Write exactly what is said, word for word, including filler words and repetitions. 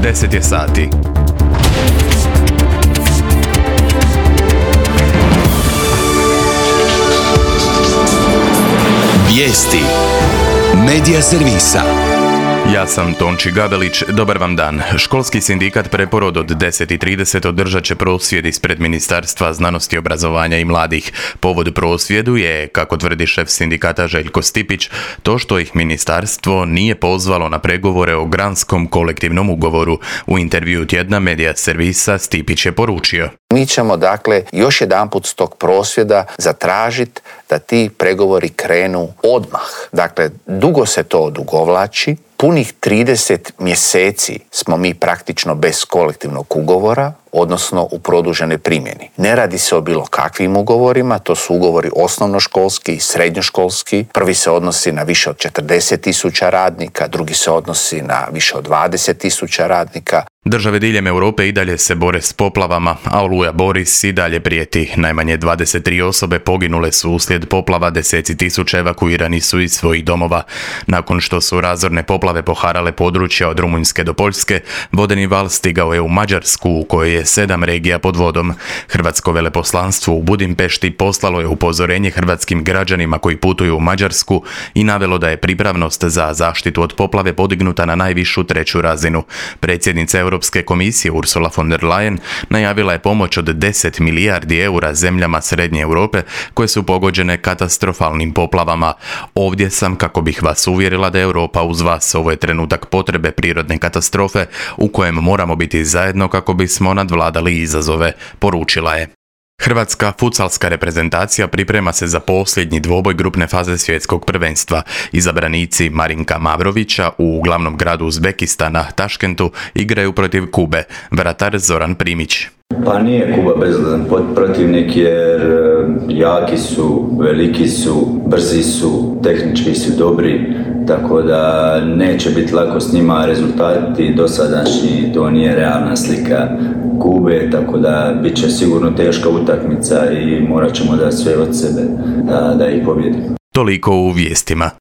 deset je sati. Vijesti Medija servisa. Ja sam Tonči Gabelić, dobar vam dan. Školski sindikat Preporod od deset i trideset održat će prosvjed ispred Ministarstva znanosti, obrazovanja i mladih. Povod prosvjedu je, kako tvrdi šef sindikata Željko Stipić, to što ih ministarstvo nije pozvalo na pregovore o granskom kolektivnom ugovoru. U intervju tjedna Medija servisa Stipić je poručio: Mi ćemo dakle još jedanput s tog prosvjeda zatražiti da ti pregovori krenu odmah. Dakle, dugo se to odugovlači. Punih trideset mjeseci smo mi praktično bez kolektivnog ugovora, odnosno u produženoj primjeni. Ne radi se o bilo kakvim ugovorima, to su ugovori osnovnoškolski i srednjoškolski. Prvi se odnosi na više od četrdeset tisuća radnika, drugi se odnosi na više od dvadeset tisuća radnika. Države diljem Europe i dalje se bore s poplavama, a oluja Boris i dalje prijeti. Najmanje dvadeset tri osobe poginule su uslijed poplava, deseci tisuća evakuirani su iz svojih domova. Nakon što su razorne poplave poharale područja od Rumunjske do Poljske, vodeni val stigao je u Mađarsku, u kojoj je sedam regija pod vodom. Hrvatsko veleposlanstvo u Budimpešti poslalo je upozorenje hrvatskim građanima koji putuju u Mađarsku i navelo da je pripravnost za zaštitu od poplave podignuta na najvišu treću razinu. Predsjednica Europske komisije Ursula von der Leyen najavila je pomoć od deset milijardi eura zemljama Srednje Europe koje su pogođene katastrofalnim poplavama. Ovdje sam kako bih vas uvjerila da je Europa uz vas. Ovo je trenutak potrebe prirodne katastrofe u kojem moramo biti zajedno kako bismo nadvladali izazove, poručila je. Hrvatska futsalska reprezentacija priprema se za posljednji dvoboj grupne faze svjetskog prvenstva. Izabranici Marinka Mavrovića u glavnom gradu Uzbekistana, Taškentu, igraju protiv Kube. Vratar Zoran Primić. Pa nije Kuba bezazlen protivnik jer jaki su, veliki su, brzi su, tehnički su dobri, tako da neće biti lako s njima. Rezultati dosadašnji, to nije realna slika Kube, tako da bit će sigurno teška utakmica i morat ćemo dati sve od sebe da, da ih pobjedimo. Toliko u vijestima.